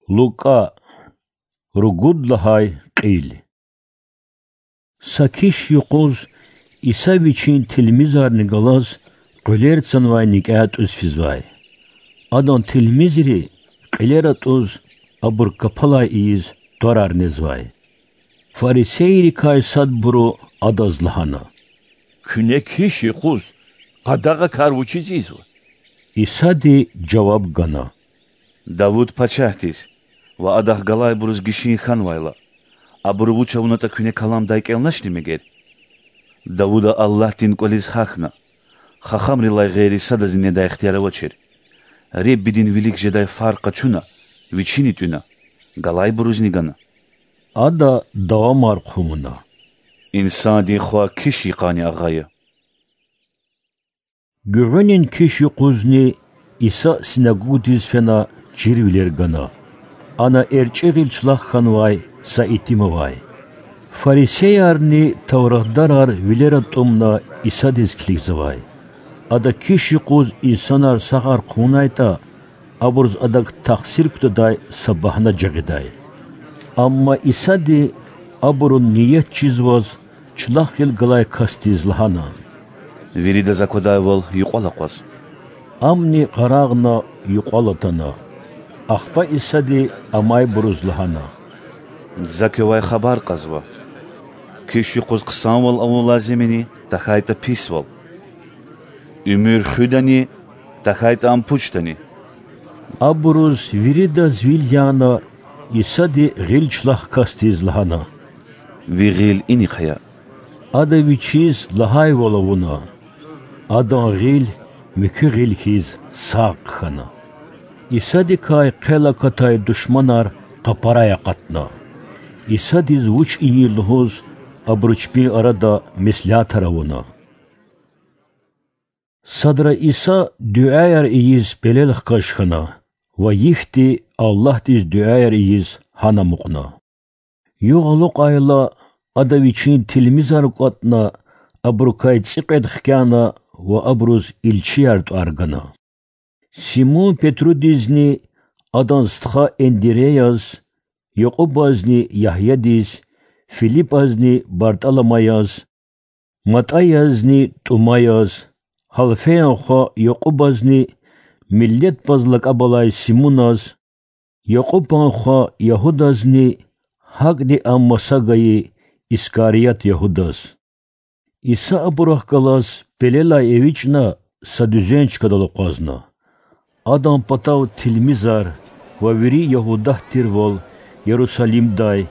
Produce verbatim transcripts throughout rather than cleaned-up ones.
Лукӏа. Ругуд лагьай кьил. Са киш юкъуз Иса Вичин тилмизарни галаз кьуьлер цанвай никӏе тӏуьз физвай. Адан тилмизри кьилер атӏуз, абур капалай ийиз, тӏварар незвай. Фарисейрикай садбуру Адаз лагьана: Куьне киш юкъуз къадагъакар вучиз ийизва? Исади жаваб гана: Давуд пачагьдиз ва адахъ галайбуруз гишин хьанвайла, абуру вуч авунатӏа куьне каламдай кӏелначни мегер? Давуда Аллагьдин кӏвализ гьахьна: Хахамрилай гъейри садазни недай ихтияр авачир. Реббидин вилик жедай фар къачуна, вичини тӏуьна, галайбурузни гана. Ада давамар хъувуна: Инсандин Хва киш йикъанни агъа я. Гуьгъуьнин киш юкъузни Иса синагогдиз фена чирвилер гана. Ана эрчӏи гъил члах хьанвай са итим авай. Фарисеярни тавратдарар вилера тӏумна Исадиз килигзавай. Ада киш юкъуз инсанар сагъар хъувунайтӏа, абуруз Адак тахсир кутадай са багьна жагъидай. Амма Исади абурун ният чизваз, члах гъил галай касдиз лагьана: Виридаз аквадайвал юкьвал акъваз. Амни къарагъна, юкьвал атана. Ахпа Исади амайбуруз лагьана: За квевай хабар кьазва: киш юкъуз хъсанвал авун лазим яни, тахьайтӏа писвал? Уьмуьр хуьдани, тахьайтӏа ам пучдани? Абуруз виридаз вил яна, Исади гъил члах касдиз лагьана: Ви гъил инихъ ая. Ада вичиз лагьайвал авуна. Адан гъил муькуь гъил хьиз сагъ хьана. Исадикай хъел акатай душманар къапарай акъатна. Исадиз вуч ийин лугьуз, абуру чпин арада меслятар авуна. Садра Иса дуьаяр ийиз пелел хкаж хьана ва йифди Аллагьдиз дуьаяр ийиз гьана амукьна. Югъ алукьайла, Ада Вичин тилмизар кӏватӏна, абурукай цӏикьвед хкяна ва абуруз илчияр тӏвар гана. Симун-Петрудизни, адан стха Эндиреяз, Якьубазни Ягьядиз, Филипазни Бартӏаламаяз, Матӏаязни Тӏумаяз, Гьалфеян хва Якьубазни, Миллетбаз лакӏаб алай Симуназ, Якьубан хва Ягьудазни, гьакӏни ам маса гайи Искарият Ягьудаз. Иса абурухъ галаз пелелай эвичӏна, са дуьзен чкадал акъвазна. Адан патав тилмизар ва вири Ягьудат тирвал Ярусалимдай,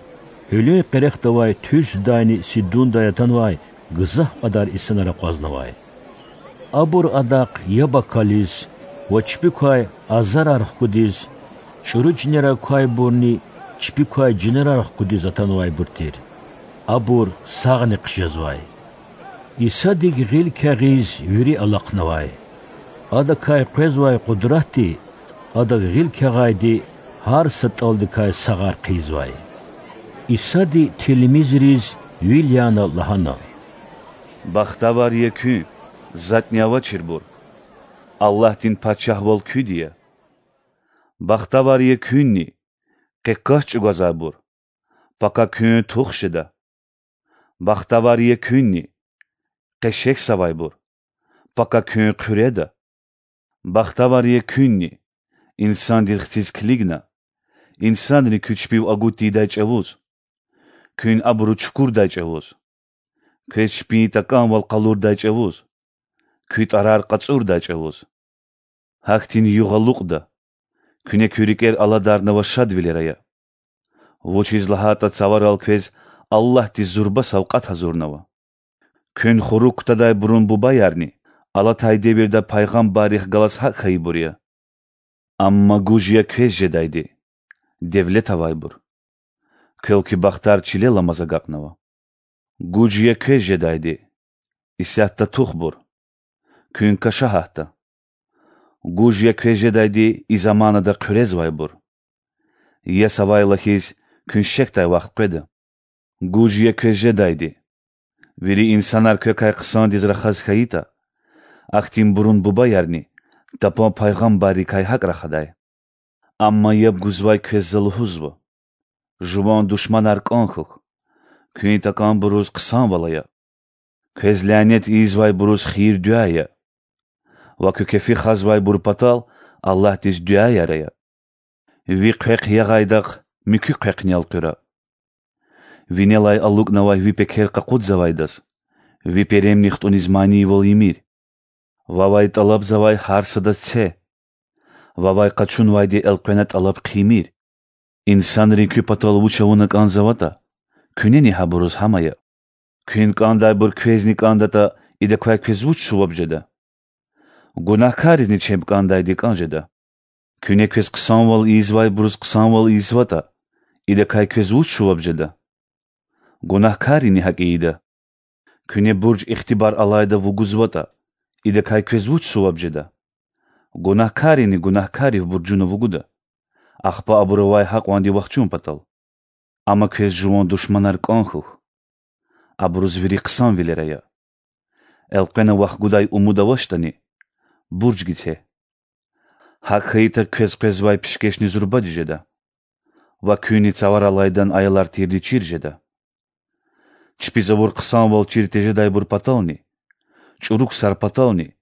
гьуьлуьн къерехдавай Туьрсдайни Сидундай атанвай гзаф кьадар инсанар акъвазнавай. Абур Адахъ яб акализ ва чпик квай азарар хкудиз, чӏуру чинерар квайбурни чпик квай жинерар хкудиз атанвайбур тир. Абур сагъни хъжезвай. Исадик гъил кягъиз вири алахънавай. Адакай къвезвай къудратди Адак гъил кягъайди гьар са тӏалдикай сагъар хъийизвай. Исади тилмизриз вил яна лагьана: Бахтавар я куьн, затӏни авачирбур, Аллагьдин пачагьвал куьди я. Бахтавар я куьнни, къе кас чӏугвазвайбур, пака куьн тух жеда. Бахтавар я куьнни, къе шехьзавайбур, пака куьн хъуьреда. Бахтавар я куьнни, инсандин хциз килигна, инсанри куь чпив агуд тийидай чӏавуз, куьн абуру чукурдай чӏавуз, квез чпин такӏанвал къалурдай чӏавуз, куь тӏарар кьацӏурдай чӏавуз. Гьахьтин югъ алукьда, куьне куь рикӏер аладарнава шадвилер ая. Вучиз лагьайтӏа Цаварал квез Аллагьди зурба савкьват гьазурнава. Куьн хурук кутадайбурун бубаярни алатай девирда пайгъамбаррихъ галаз гьакӏ хьайибур я. Амма гуж я квез жедайди, девлет авайбур, квел куь бахтар чилел аламаз агакьнава. Гуж я квез жедайди, исятда тухбур, куьн каша гьатда. Гуж я квез жедайди, и заманада хъуьрезвайбур, яс авайла хьиз, куьн шехьдай вахт къведа. Гуж я квез жедайди, вири инсанар квекай хъсандиз рахаз хьайитӏа, ахьтинбурун бубаярни тапан пайгъамбаррикай гьакӏ рахадай. Амма яб гузвай квез За лугьузва: жуван душманар кӀан хьухь, куьн такӀанбуруз хъсанвал ая, квез лянет ийизвайбуруз хийир-дуьа ая ва куь кефи хазвайбур патал Аллагьдиз дуьаяр ая. Ви хъвехъ ягъайдахъ муькуь хъвехъни элкъуьра. Винелай алукӀнавай ви пекер къакъудзавайдаз ви перемни хтӀуниз манийвал ийимир. Вавай тӀалабзавай гьар садаз це, вавай къачунвайди элкъвена тӀалаб хъийимир. Инсанри куь патал вуч авуна кӀанзаватӀа, куьнени гьабуруз гьам ая. Куьн кӀандайбур квезни кӀандатӀа, идакай квез вуч суваб жеда? Гунагькаризни чеб кӀандайди кӀан жеда. Куьне квез хъсанвал ийизвайбуруз хъсанвал ийизватӀа, идакай квез вуч суваб жеда? Гунагькарини гьакӀ ийида. Куьне бурж ихтибар алайда вугузватӀа, идакай квез вуч суваб жеда? Гунагькарини гунагькарив буржуна вугуда, ахпа абурувай гьакьванди вахчун патал. Амма квез жуван душманар кӀан хьухь, абуруз вири хъсанвилер ая. Элкъвена вахъ гудай умуд авачтӀани, бурж гице. ГьакӀ хьайитӀа, квез къвезвай пишкешни зурбади жеда ва куьнни цаваралайдан аялар тирди чир жеда. Чпиз авур хъсанвал чир тежедайбур патални, чӀуру ксар патални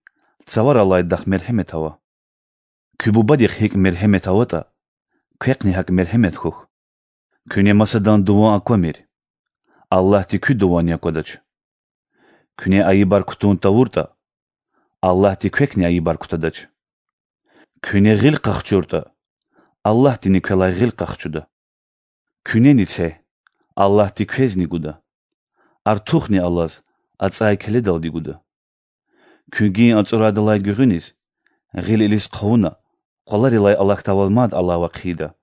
цаваралайдахъ мергьемет ава. Куь Бубадихъ гьикӀ мергьемет аватӀа, квехъни гьакӀ мергьемет хьухь. Куьне масадан дуван аквамир, Аллагьди куь дуванни аквадач. Куьне айибар кутун тавуртӀа, Аллагьди квекни айибар кутадач. Куьне гъил къахчуртӀа, Аллагьдини квелай гъил къахчуда. Куьнени це, Аллагьди квезни гуда. Артухни алаз, ацӀай келедалди гуда. Куьн гин ацӀурайдалай гуьгъуьниз, гъил илис хъувуна, къваларилай алахьдайвал мад алава хъийида.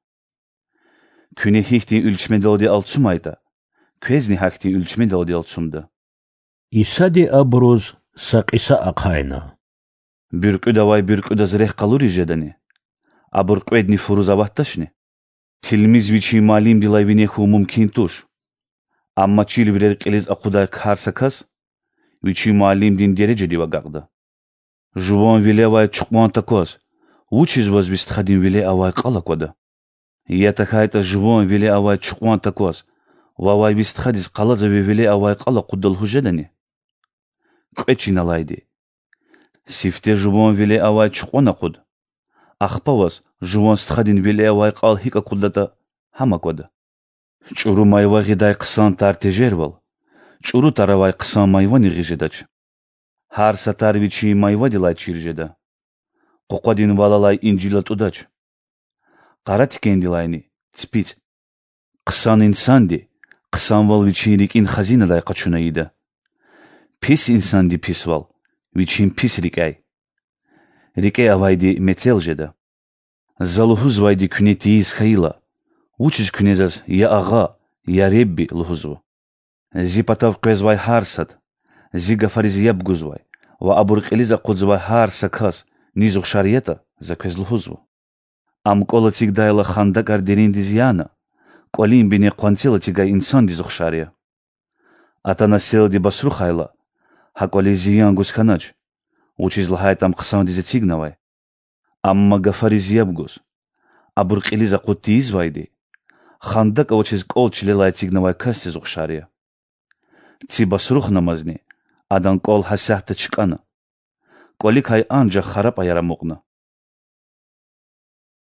Куьне гьихьтин уьлчмедалди алцумайтӀа, квезни гьахьтин уьлчмедалди алцумда. Исади абуруз са кьиса ахъайна: Буьркьуьдавай буьркьуьдаз рехъ къалуриз жедани? Абур кьведни фуруз аватдачни? Тилмиз вичин муаллимдилай вине хьун мумкин туш. Амма чирвилер кьилиз акъудай гьар са кас вичин муаллимдин дережадив агакьда. Жуван виле авай чукьван такваз вучиз ваз ви стхадин виле авай кьал аквада? Я тахьайтӀа жуван виле авай чукьван такваз вавай ви стхадиз къалаза ви виле авай кьал акъудда лугьуз жедани? Кьве чин алайди. Сифте жуван виле авай чукьван акъуд, ахпа ваз жуван стхадин виле авай кьал гьикӀ акъуддатӀа, гьам аквада. ЧӀуру майва гъидай хъсан тар тежервал, чӀуру тар авай хъсан майвани гъиз жедач. Гьар са тар вичин майвадилай чир жеда. Къукъвадин вал алай инжил атӀудач, къара тикендилайни ципицӀ. Хъсан инсанди хъсанвал вичин рикӀин хазинадай къачуна ийида. Пис инсанди писвал вичин пис рикӀяй. РикӀе авайди мецел жеда. За лугьузвайди куьне тийиз хьайила, вучиз куьне заз я Агъа, я Ребби лугьузва? Зи патав къвезвай гьар сад, зи гафариз яб гузвай ва абур кьилиз акъудзавай гьар са кас низ ухшар ятӀа, за квез лугьузва. Ам кӀвал эцигдайла хандакӀар дериндиз яна, кӀвалин бине къванцел эцигай инсандиз ухшар я. Атана селди басрухайла, гьа кӀвализ зиян гуз хьанач, вучиз лагьайтӀа ам хъсандиз эцигнавай. Амма гафариз яб гуз, абур кьилиз акъуд тийизвайди хандакӀ авачиз кӀвал чилелай эцигнавай касдиз ухшар я. Ци басрухнамазни, адан кӀвал гьасятда чкӀана, кӀваликай анжах харапӀаяр амукьна.